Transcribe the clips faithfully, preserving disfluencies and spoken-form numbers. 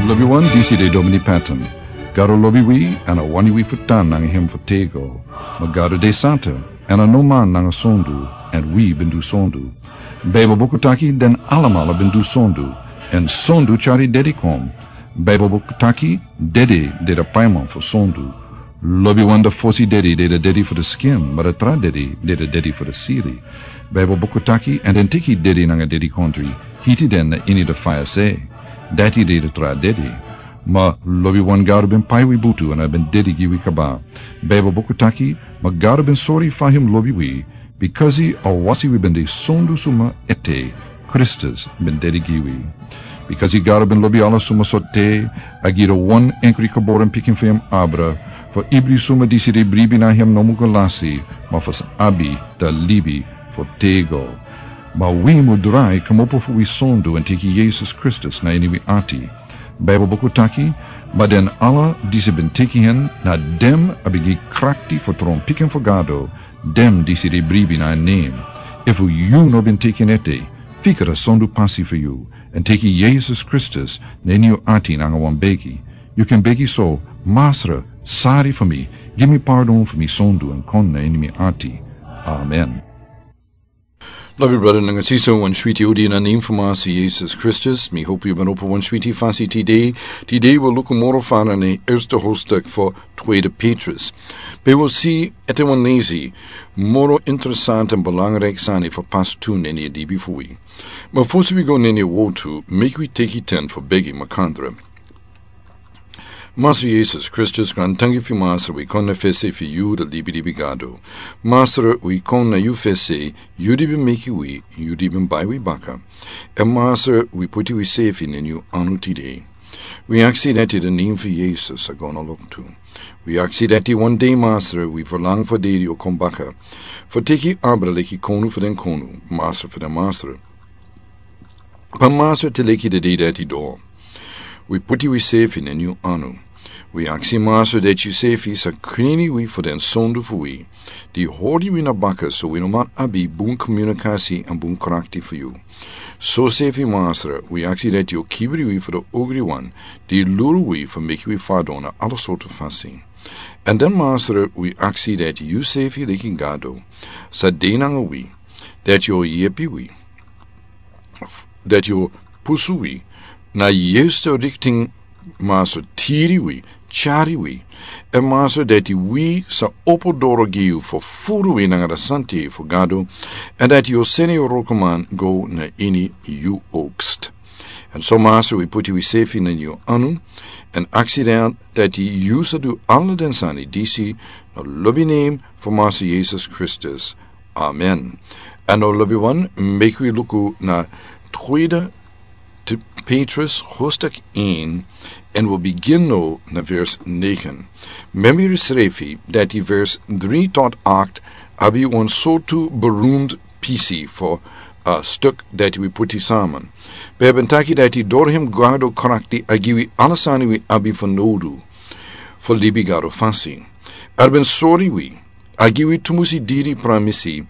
Lobi wan, disi de Domini Patton. Gado lobi wi, èn a wani wi fu tan nanga hem fu tego. Ma Gado de santa, èn a no man nanga sondu, èn wi ben du sondu. Baibel buku taki den alamala ben du sondu, èn sondu tyari dedi kon. Baibel buku taki dedi de de paiman fu sondu. Lobi wan, de fosi dedi de de dedi fu de skin, ma de tra dedi de de dedi fu de siri. Baibel buku taki, èn den teki dedi nanga dedikondri, hiti den na ini de faya se. Dati de de tra dedi. Ma lobi wan, Gado ben pai wi butu èn a ben dedi gi wi kaba. Baibel buku taki, ma Gado ben sori fa hem lobi wi, bikasi a wasi wi ben de sondu suma ete, Kristus ben dedi gi wi. Bikasi Gado ben lobi ala suma sortu, a gi de wan enkri geboren pikin fu hem abra, fu ibri suma disi de bribi na hem no mu go lasi, ma fu sa abi de libi fu tego. Ma wi mu drai kmopo fu wi sondu èn teki Yesus Kristus na ini wi ati. Baibel buku taki, ma den ala disi ben teki hen, na den a ben gi krakti fu tron pikin fu Gado, den disi de bribi na en nen. Efu yu no ben teki en ete, fika a sondu pasi fu yu, èn teki Yesus Kristus na ini yu ati nanga wan begi. Yu kan begi so: Masra, sari fu mi, gi mi pardon fu mi sondu èn kon na ini mi ati. Amen. Lobi brada nanga sisa, wan switi odi na nen fu Masa Yesus Kristus. Mi hopi yu ben opo wan switi fasi tide. Tide wi luku moro fara na e erste hoofdstuk fu Tweede Petrus. Pe wi si ete wan nezi moro interesant èn belangrijk sani fu pas tu na ini a libi fu wi. Ma fosi wi go na ini a wortu, meki wi teki ten fu begi makandra. Masa Yesus Kristus, grantangi fu yu, Masa, wi kon na fesi fu yu, de libilibi Gado. Masa, wi kon na yu fesi, yu di ben meki wi, yu di ben bai wi baka. Èn Masa, wi puti wi sefi na ini yu anu tide. Wi aksi dati de nen fu Yesus a go na loktu. Wi aksi dati wan dei, Masa, wi ferlangu fu a dei di yu o kon baka, fu teki abra leki konu fu den konu, Masa fu den masra. Pe Masa, te leki a dei dati doro, wi puti wi sefi na ini yu anu. Wi aksi, Masa, dati yu sefi sa krini wi fu den sondu fu wi, di hori wi na baka, so wi no man abi bun komunikasi èn bun krakti fu yu. Sosefi, Masa, wi aksi dati yu o kibri wi fu den ogriwan di luru wi fu meki wi fadon na ala sortu fasi. Èn dan, Masa, wi aksi dati yu sefi leki Gado sa de nanga wi, dati yu o yepi wi, dati yu o pusu wi na a juiste richting, Masa, tiri wi, tyari wi. Èn Masa, dati wi sa opo doro gi yu fu furu wi nanga a santa fu Gado, èn dati yu o seni yu wrokoman go na ini yu oogst. Èn so, Masa, wi puti wi sefi na ini yu anu, èn aksi dati yu sa du ala den sani disi, na lobi nen fu Masa Yesus Kristus. Amen. Èn now, lobiwan, meki wi luku na Tweede Petrus hoofdstuk één, èn wi o bigin now na vers negen. Memori srefi dati vers drie tot acht abi wan sortu beroemd pisi fu a stuk dati wi puti samen. Wi ben taki dati doro hem Gado krakti a gi wi ala sani wi abi fu nodu fu libi Gado fasi. A ben sori wi, a gi wi tumusi diri pramisi,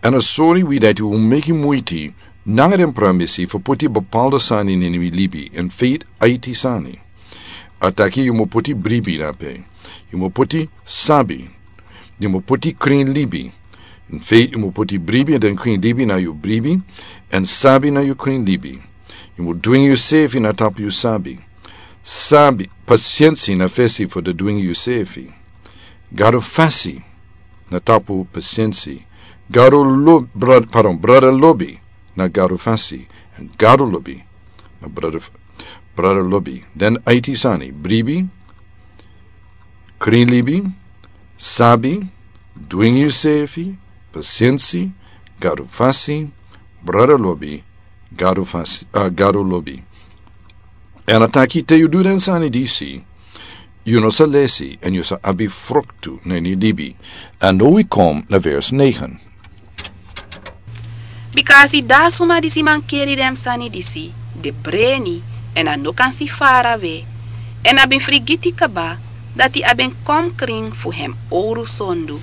èn a sori wi dati wi o meki muiti nanga den pramisi fu puti bepaalde sani na ini wi libi, in feite aiti sani. A taki yu mu puti bribi drape. Yu mu puti sabi. Yu mu puti krin libi. In feite yu mu puti bribi, èn den krin libi na yu bribi, èn sabi na yu krin libi. Yu mu dwingi yusefi na tapu yu sabi. Sabi, pasiensi na fesi fu den dwingi yusefi. Gado fasi na tapu pasiensi. Gado lo-, brad-, pardon, brada lobi na Gado fasi. Èn Gado lobi na brada f-, brada lobi. Den aiti sani: bribi, krin libi, sabi, dwingi yusefi, pasiensi, Gado fasi, brada lobi, Gado fasi, ah, Gado lobi. Èn a taki te yu du den sani disi, yu no sa lesi èn yu sa abi fruktu na ini libi. Èn now wi kon na vers negen. Bika a si dati a suma disi mankeri den sani disi de breni, èn a no kan si farawe, èn a ben frigiti kaba dati a ben kon krin fu hem owru sondu.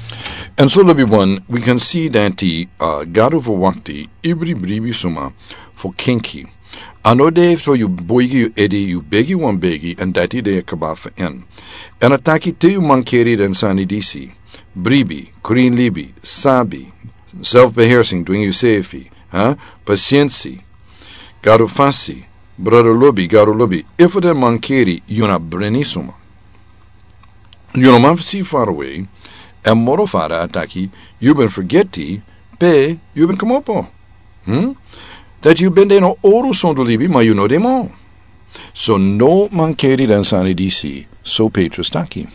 Èn so, lobiwan, wi kan si dati, ah, Gado verwakti ibri bribi suma fu kenki. A no de so yu boigi yu ede, yu begi wan begi, èn dati de kaba fu en. Èn a taki te yu mankeri den sani disi: bribi, krin libi, sabi, selfbeheersing, dwingi yusefi, pasiensi, gado fasi, brada lobi, gado lobi. Efu den mankeri, yu na breni suma. Yu no man fu si farawe. Èn moro fara a taki, yu ben fergeti pe yu ben komopo. Hm? Dati yu ben de na oru sondu libi, ma yu no de mo. So no mankeri den sani disi, so Petrus taki.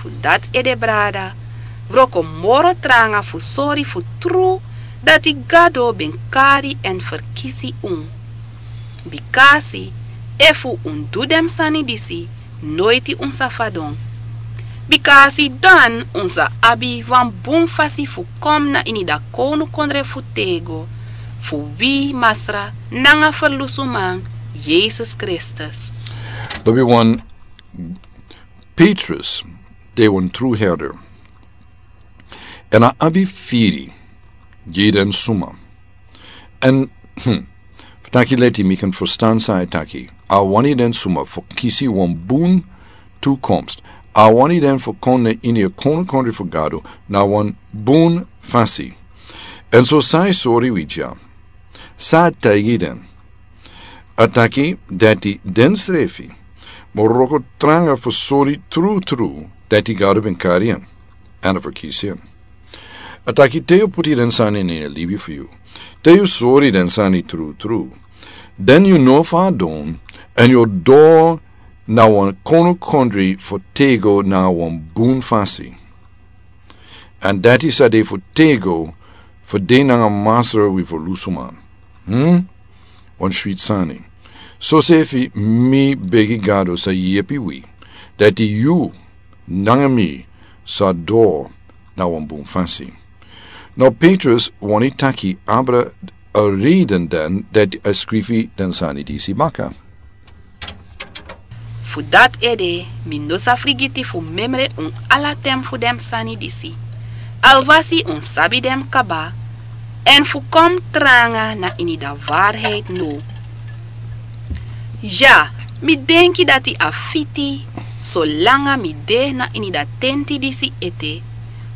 Fu dati ede brada, wroko moro tranga fu sori fu tru dati Gado ben kari èn ferkisi un. Bikasi efu un du den sani disi, noiti un sa fadon. Bikasi dan un sa abi wan bun fasi fu kon na ini dati kownukondre fu tego fu wi Masra nanga Ferlusuman, Yesus Kristus. Lobi wan, Petrus de wan tru herder. Èn a abi firi gi den suma. Èn, hm, fu taki leti mi kan ferstan san a e taki. A wani den suma fu kisi wan bun tukomst. A wani den fu kon na ini a kownukondre fu Gado na wan bun fasi. Èn so san a e sori wi dya, san a taigi den? A taki dati den srefi moro wroko tranga fu sori trutru dati Gado ben kari en èn a ferkisi en. A taki te yu puti den sani na ini a libi fu yu, te yu sori den sani trutru, dan yu no fadon èn yu o doro na wan kownukondre fu tego na wan bun fasi. Èn dati sa de fu tego fu de nanga Masra wi Ferlusuman. Hm? Wan switi sani. Sosefi mi begi Gado sa yepi wi dati yu nanga mi sa doro na wan bun fasi. Now Petrus wani taki abra a reden den dati a skrifi den sani disi baka. Fu dati ede mi no sa frigiti fu memre un ala ten fu den sani disi, alwasi un sabi den kaba, èn fu kon tranga na ini dati waarheid now. Ya, mi denki dati a fiti, solanga mi de na ini dati tenti disi ete,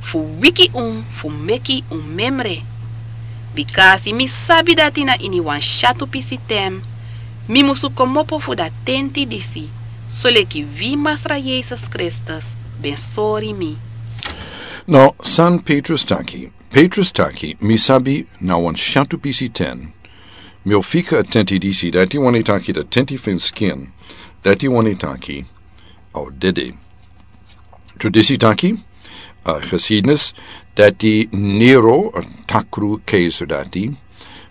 fu wiki un fu meki un memre. Bikasi mi sabi dati na ini wan syatu pisi ten mi musu komopo fu dati tenti disi, soleki wi Masra Yesus Kristus ben sori mi. Now san Petrus taki? Petrus taki mi sabi na wan syatu pisi ten mi o fika a tenti disi, dati wani taki dati tenti fu en skin, dati wani taki a o dede. Tradisi taki, a geschiedenis, dati Nero, a takru keizer dati,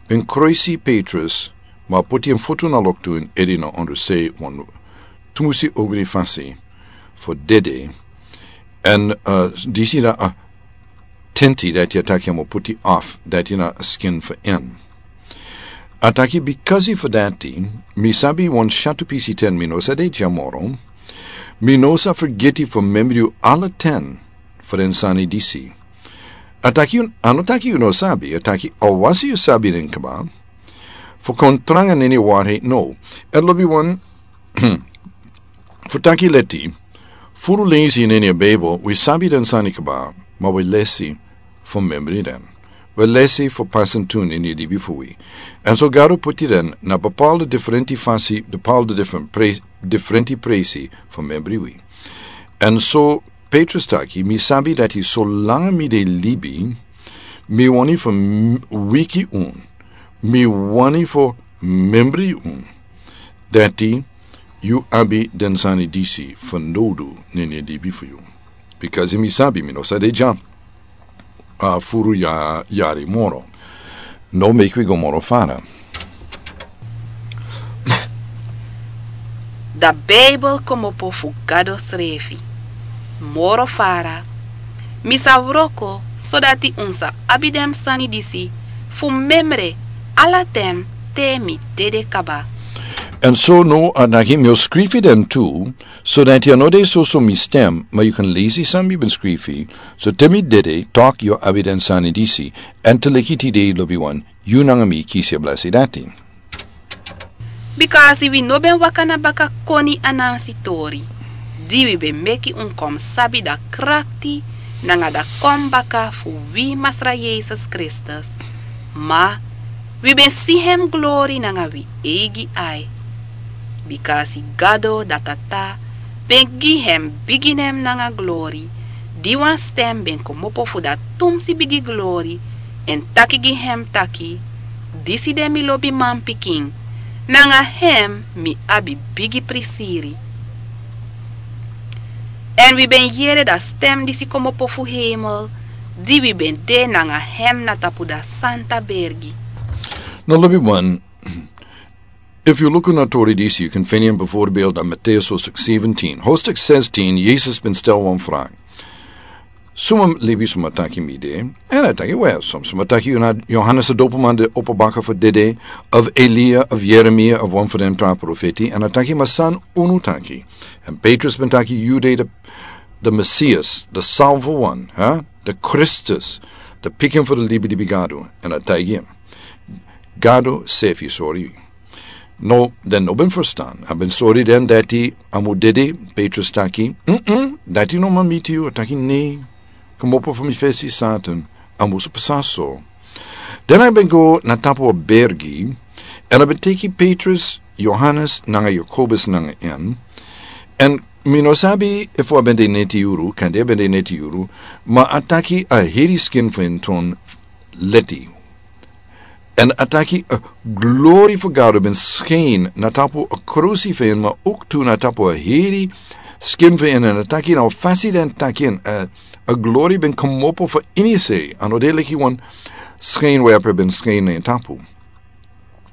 ben kroisi Petrus, ma a poti en futu na loktu èn ede na ondersei wan tumusi ogri fasi fu dede. Èn disi na a tenti dati a taki a mu poti off, dati na a skin fu en. A taki bikasi fu dati mi sabi wan syatu pisi ten mi no sa de dya moro. Mi no sa fergiti fu memri yu ala ten fu den sani disi. A taki yu, a no taki yu no sabi, a taki awasi yu sabi den kaba. Fu kon tranga na ini a waarheid now. Èn lobi wan, fu taki leti, furu leisi na ini a Bijbel wi sabi den sani kaba, ma wi lesi fu memri den. Wi lesi fu pasi en tu na ini a libi fu wi. Èn so Gado poti den na bepaalde diferenti fasi, bepaalde diferenti presi fu memri wi. Èn so Petrus taki mi sabi dati solanga mi de libi, mi wani fu wiki un, mi wani fu memri un dati yu abi den sani disi fanowdu na ini a libi fu yu. Bikasi mi sabi mi no sa de dya a furu yari moro. No meki wi go moro fara. Dati Bijbel komopo fu Gado srefi. Moro fara, mi sa wroko sodati un sa abi den sani disi fu memre ala ten te mi dede kaba. Èn so now a taki mi o skrifi den tu, sodati a no de soso mi stem, ma yu kan lesi san mi ben skrifi. So te mi dede, tak' yu o abi den sani disi, èn te leki tide lobi wan, yu nanga mi kisi a blesi dati. Bikasi wi no ben waka na baka koni anansi tori, di wi ben meki un kon sabi da krakti nanga da kon baka fu wi Masra Yesus Kristus, ma wi ben si hem glori nanga wi eigi ai. Bikasi Gado da Tata ben gi hem bigi nen nanga glori, di wan stem ben komopo fu da tumsi bigi glori, èn taki gi hem taki: Disi de mi lobi manpikin, nanga hem mi abi bigi prisiri. Èn wi ben yere da stem disi komopo fu hemel, di wi ben de nanga hem na tapu da santa bergi. No, lobi wan. If you look in authority, you can find him before build on Matthäus hoofdstuk zeventien. Hoofdstuk zestien, Jesus ben stel wan vraag. Suma lebi suma taki mi de? En a taki, wel, som suma taki yu na Johannes de Doperman, de opo baka fu dede, of Elia, of Jeremia, of wan fu den tra profeti. En a taki, ma san unu taki? En Petrus ben taki, yu de de, de Messias, de salvo wan, hè? De Kristus, de pikin fu de libi libi Gado. En a taki, Gado sefi sori. No, den no ben ferstan. A ben sori den dati a mu dede. Petrus taki, mm, dati no man miti yu. A taki, nei, komopo fu mi fesi, Satan. A musu pasa so. Den a ben go na tapu a bergi, en a ben teki Petrus, Johannes, nanga Jakobus nanga en. En mi no sabi efu a ben de neti yuru, kande a ben de neti yuru, ma a taki a heri skin fu en tron leti. En a taki a glori fu Gado ben skin na tapu a krusi fu en, ma ook tu na tapu a heri skin fu en. En a taki na fasi den taki en, a, a glori ben komopo fu ini sei, a no de leki wan skin we a ben skin na en tapu.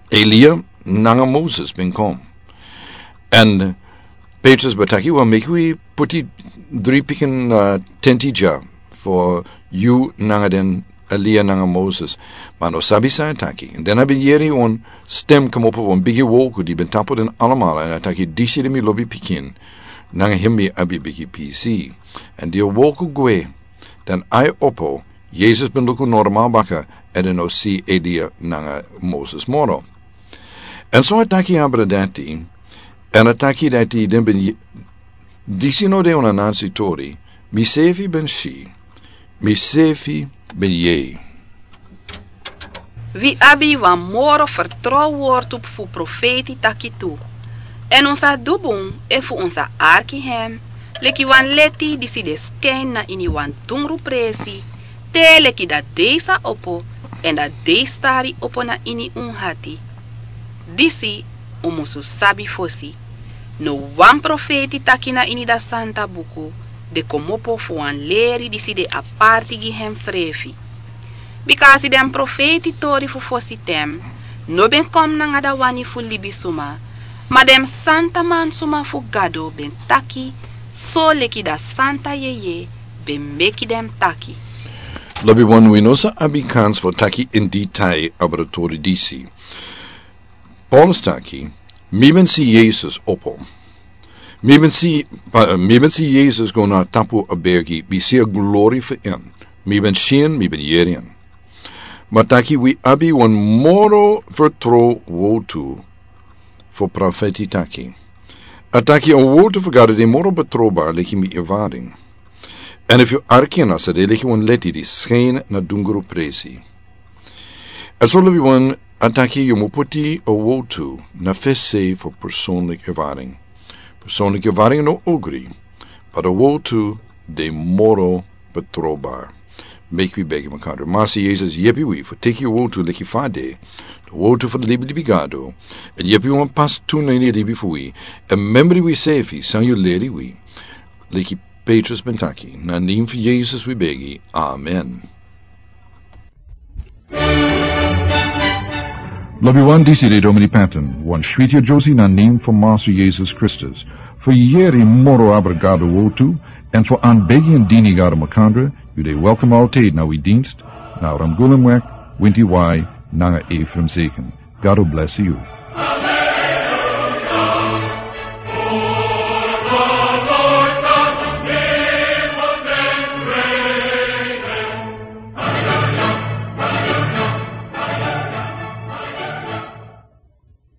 Elia nanga Moses ben kon. En Petrus ben taki, wel, meki wi puti dri pikin, uh, tenti dya fu yu nanga den Elia nanga Moses. Ma no sabi san a taki. En den a ben yere wan stem komopo fu wan bigi wolku di ben tapu den alamala. En a taki, disi de mi lobi pikin. Nanga hem mi abi bigi pisi. En di a wolku gwe, den ai opo, Jesus ben luku normal baka, en den no si Elia nanga Moses moro. En so a taki abra dati, en a taki dati den ben ye-, disi no de wan anansi tori, mi sefi ben si, mi sefi ben yei. Wi abi wan moro fertrow wortu fu profeti taki tu. En un sa du bun efu un sa arki hem, leki wan leti disi de skin na ini wan dungru presi, te leki da dei sa opo, en da dei stari opo na ini un hati. Disi un musu sabi fosi. No wan profeti taki na ini da santa buku de komopo fu wan leri disi de aparti gi hem srefi. Bikasi den profeti tori fu fosi ten no ben kon nanga da wani fu libisuma, ma den santa mansuma fu Gado ben taki, so leki da santa yeye ben meki den taki. Lobi wan, wi no sa abi kans fu taki in detail abra tori disi. Paulus taki, mi ben si Jesus opo. Mi ben si, pa-, mi ben si Jesus go na tapu a bergi, mi si a glori fu en. Mi ben si en, mi ben yere en. Ma taki wi abi wan moro fertrow wortu fu profeti taki. A taki a wortu fu Gado de moro betrowbar leki mi ervaring. En efu yu arki en, a sa de leki wan leti di skin na dungru presi. En so lobi wan, a taki yu mu puti a wortu na fesi fu personlik ervaring. Personlik ervaring no ogri, ma a wortu de moro betrowbar. Meki wi begi makandra. Masra Jesus, yepi wi fu teki a wortu leki fa a de, a wortu fu libi libi Gado. En yepi wi mus pas tu na ini a libi fu wi. En memri wi sefi san yu leri wi. Leki Petrus ben taki, na nen fu Jesus wi begi. Amen. Lobi wan, disi de Domini Patton, wan switi a Josie na nen fu Masra Jesus Kristus. Fu yere moro abra Gado wortu, en fu anbegi en dini Gado makandra, yu de welkom altijd na wi dienst, na Ramgulemweg, Winti Wai, nanga Ephraim Zeken. Gado bless yu.